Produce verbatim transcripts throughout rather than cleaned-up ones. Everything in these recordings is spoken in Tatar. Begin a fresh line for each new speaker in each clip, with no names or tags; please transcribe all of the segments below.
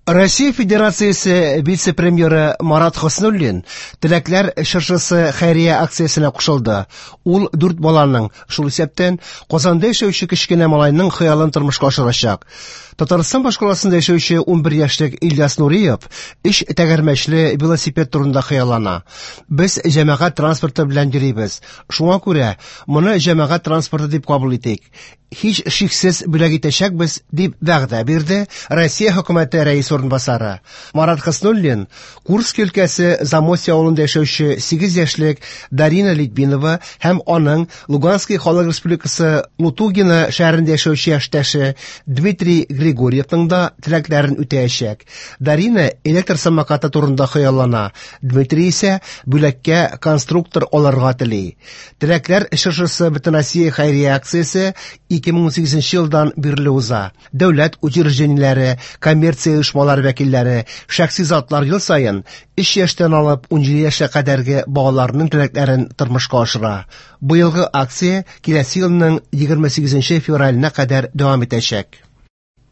Россия Федерациясе вице-премьеры Марат Хөснуллин «Теләкләр чыршысы» хәйрия акциясенә кушылды. Ул дүрт баланың, шул исәптән Казанда яшәүче кечкенә малайның хыялын тормышка ашырачак. Татарстан башкаласында яшәүче унбер яшьлек Ильяс Нуриев өч тәгәрмәчле велосипед турында хыяллана. Без җәмәгать транспорты белән йөрибез. Шуңа күрә моны җәмәгать транспорты дип кабул итик. Һич шиксез бүләк итәчәкбез, дип вәгъдә бирде Россия хөкүмәте рәисе урынбасары. Марат Хөснуллин Курск өлкәсе Замостье авылында яшәүче сигез яшьлек Дарина Литвинова һәм аның Луганский халык республикасы Лутугино шәһәрендә яшәүче яшьтәше Дмитрий Григорьевның да теләкләрен үтәячәк. Дарина электр самокаты турында хыяллана, Дмитрий исә бүләккә конструктор алырга тели. Теләкләр чыршысы Бөтенроссия хәйрия акциясе ике мең унсигезенче елдан бирле уза. Дәүләт учреждениеләре, коммерция оешмалары вәкилләре, шәхси затлар ел саен өч яшьтән алып унҗиде яшькә кадәрге балаларның теләкләрен тормышка ашыра. Быелгы акция киләсе елның егерме сигезенче февраленә кадәр дәвам итәчәк.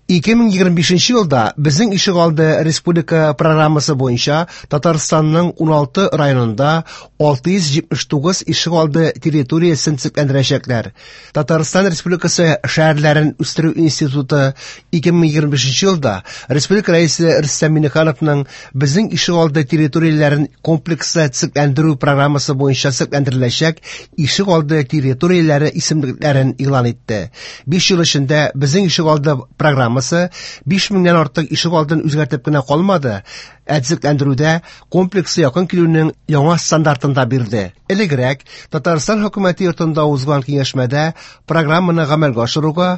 Ике мең егерме бишенче елда Безнең ишегалды республика программасы буенча Татарстанның уналты районында алты йөз җитмеш тугыз ишегалды территориясен төзекләндерәчәкләр. Татарстан Республикасы шәһәрләрен үстерү институты ике мең егерме бишенче елда Республика Рәисе Рөстәм Миңнехановның Безнең ишегалды территорияләрен комплекслы төзекләндерү программасы буенча төзекләндереләчәк ишегалды территорияләре исемлекләрен игълан итте. Биш ел эчендә Безнең ишегалды программасы биш меңнән артык ишегалдын үзгәртеп кенә калмады, ә төзекләндерүдә комплексы якын килүнең яңа стандартын да бирде. Элегрәк Татарстан хөкүмәте йортында узган киңәшмәдә программаны гамәлгә ашыруга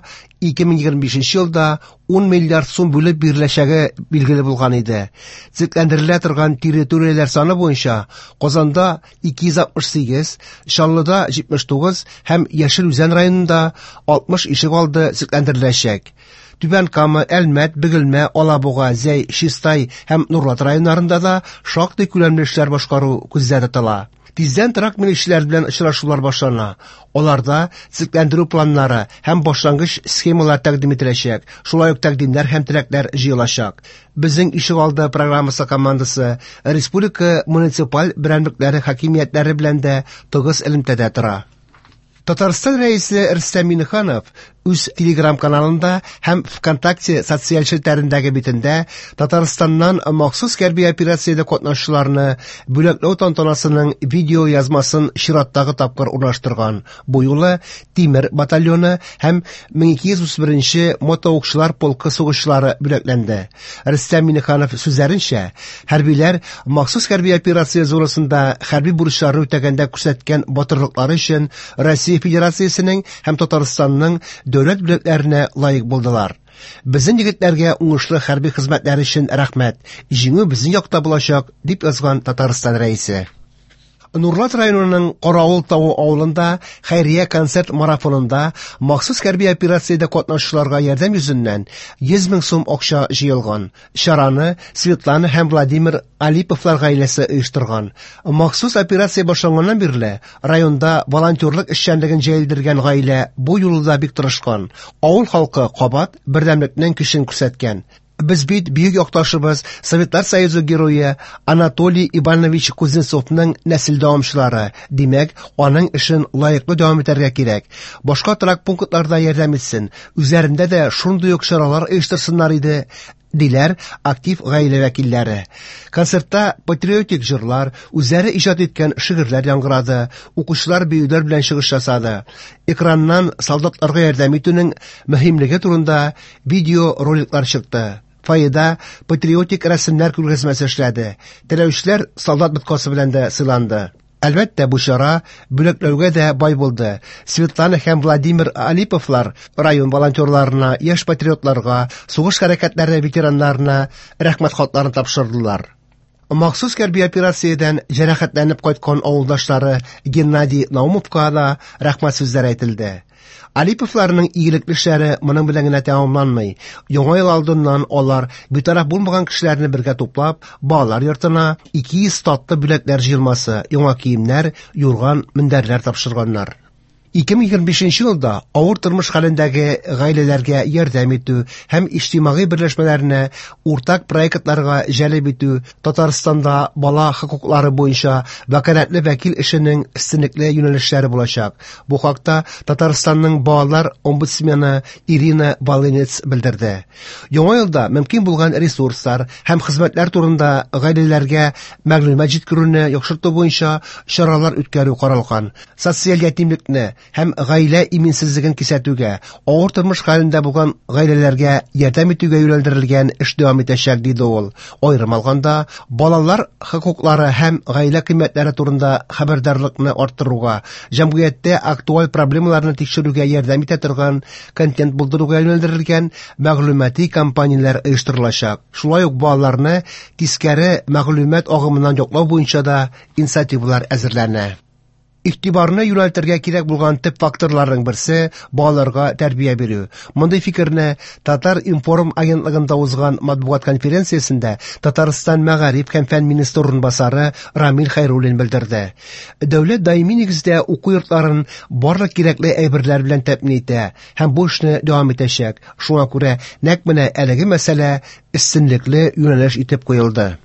ике мең егерме бишенче елда ун миллиард сум бүлеп биреләчәге билгеле булган иде. Төзекләндерелә торган территорияләр саны буенча Казанда ике йөз алтмыш сигез, Чаллыда җитмеш тугыз һәм Яшел Үзән районында алтмыш ишегалды төзекләндереләчәк. Түбән Кама, Әлмәт, Бөгелмә, Алабуга, Зәй, Чистай һәм Нурлат районнарында да шактый күләмле эшләр башкару күздә тотыла. Тиздән торак милекчеләр белән очрашулар башлана. Аларда төзекләндерү планнары һәм башлангыч схемалар тәкъдим ителәчәк. Шулай ук тәкъдимнәр һәм теләкләр җыелачак. Безнең ишегалды программасы командасы республика муниципаль берәмлекләре хакимиятләре белән дә тыгыз элемтәдә тора. Татарстан Рәисе Рөстәм Миңнеханов үз Телеграм-каналында һәм ВКонтакте социаль челтәрендәге битендә Татарстаннан махсус хәрби операциядә катнашучыларны бүләкләү тантанасының видео язмасын чираттагы тапкыр урнаштырган. Бу юлы Тимер батальоны һәм мең ике йөз утыз беренче мотоукчылар полкы сугышчылары бүләкләнде. Рөстәм Миңнеханов сүзләренчә, хәрбиләр махсус хәрби операция зонасында хәрби бурычларны үтәгәндә күрсәткән батырлыклары өчен Россия Федерациясенең һәм Татарстанның дәүләт бүләкләренә лаек булдылар. Безнең егетләргә уңышлы хәрби хезмәтләре өчен рәхмәт. Җиңү безнең якта булачак, дип язган Татарстан Рәисе. Нурлат районының Каравыл тавы авылында хәйрия концерт марафонында махсус хәрби операциядә катнашучыларга ярдәм йөзеннән йөз мең сум акча җыелган. Чараны Светлана һәм Владимир Алиповлар гаиләсе оештырган. Махсус операция башланганнан бирле районда волонтерлык эшчәнлеген җәелдергән гаилә бу юлы да бик тырышкан. Авыл халкы кабат бердәмлекнең көчен күрсәткән. Без бит бөек якташыбыз, Советлар Союзы герое Анатолий Иванович Кузнецовның нәсел дәвамчылары. Димәк, аның эшен лаеклы дәвам итәргә кирәк. Башка торак пунктларда ярдәм итсен, үзләрендә дә шундый ук чаралар оештырсыннар иде, диләр актив гаилә вәкилләре. Концертта патриотик җырлар, үзләре иҗат иткән шигырьләр яңгырады, укучылар биюләр белән чыгыш ясады. Экраннан солдатларга ярдәм итүнең мөһимлеге турында видеороликлар чыкты. Фойеда патриотик рәсемнәр күргәзмәсе эшләде. Теләүчеләр солдат боткасы белән дә сыйланды. Әлбәттә, бу чара бүләкләүгә дә бай булды. Светлана һәм Владимир Алиповлар район волонтерларына, яшь патриотларга, сугыш хәрәкәтләре ветераннарына рәхмәт хатларын тапшырдылар. Махсус хәрби операциядән җәрәхәтләнеп кайткан авылдашлары Геннадий Наумовка да рәхмәт сүзләре әйтелде. Алиповларның игелекле эшләре моның белән генә тәмамланмый. Яңа ел алдыннан алар битараф булмаган кешеләрне бергә туплап, балалар йортына ике йөз татлы бүләкләр җыелмасы, яңа киемнәр, юрган, мендәрләр тапшырганнар. ике мең егерме бишенче елда авыр тормыш хәлендәге гаиләләргә ярдәм итү һәм иҗтимагый берләшмәләрне уртак проектларга җәлеп итү Татарстанда бала хокуклары буенча вәкаләтле вәкил эшенең өстенлекле юнәлешләре булачак. Бу хакта Татарстанның балалар омбудсмены Ирина Волынец белдерде. Яңа елда мөмкин булган ресурслар һәм хезмәтләр турында гаиләләргә мәгълүмат җиткерүне яхшырту буенча чаралар үткәрү каралган. Социаль ятимлекне һәм гаилә иминсезлеген кисәтүгә, авыр тормыш хәлендә булган гаиләләргә ярдәм итүгә юнәлдерелгән эш дәвам итәчәк, диде ул. Аерым алганда, балалар хокуклары һәм гаилә кыйммәтләре турында хәбәрдарлыкны арттыруга, җәмгыятьтә актуаль проблемаларны тикшерүгә ярдәм итә торган контент булдыруга юнәлдерелгән мәгълүмати кампанияләр оештырылачак. Шулай ук балаларны тискәре мәгълүмат агымыннан яклау буенча да инициативалар әзерләнә. Игътибарны юнәлтергә кирәк булган төп факторларның берсе балаларга тәрбия бирү. Мондый фикерне Татар-информ агентлыгында узган матбугат конференциясендә Татарстан мәгариф һәм фән министры урынбасары Рамил Хәйруллин белдерде. Дәүләт даими нигездә уку йортларын барлык кирәкле әйберләр белән тәэмин итә һәм бу эшне дәвам итәчәк. Шуңа күрә нәкъ менә әлеге мәсьәлә өстенлекле юнәлеш итеп куелды.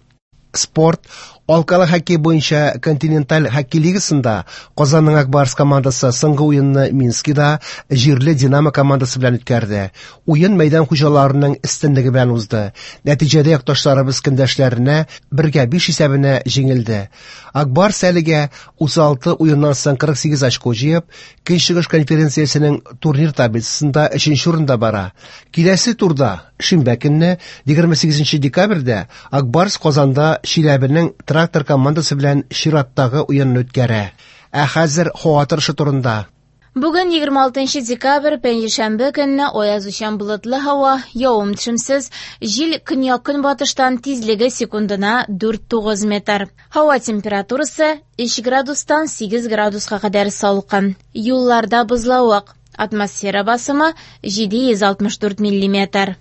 Спорт. Алкалы хоккей буенча континенталь хоккей лигасында Казанның Ак Барс командасы соңгы уенны Минскида җирле Динамо командасы белән үткәрде. Уен мәйдан хуҗаларының өстенлеге белән узды. Нәтиҗәдә якташларыбыз көндәшләренә бергә биш исәбенә җиңелде. Ак Барс әлегә утыз алты уеннан соң кырык сигез очко җыеп, Көнчыгыш конференциясенең турнир таблицасында өченче урында бара. Киләсе турда шимбә көнне егерме сигезенче декабрьдә Ак Барс Казанда Чиләбенең Трактор командасы белән чираттагы уенны үткәрә. Ә хәзер һава торышы турында.
Бүген егерме алтынчы декабрь, пәнҗешәмбе көнне аязучан болытлы һава, явым-төшемсез, җил көньяк-көнбатыштан тизлеге секундына дүрт тугыз метр. Һава температурасы өч градустан сигез градуска кадәр салкын. Юлларда бозлавык. Атмосфера басымы җиде йөз алтмыш дүрт миллиметр.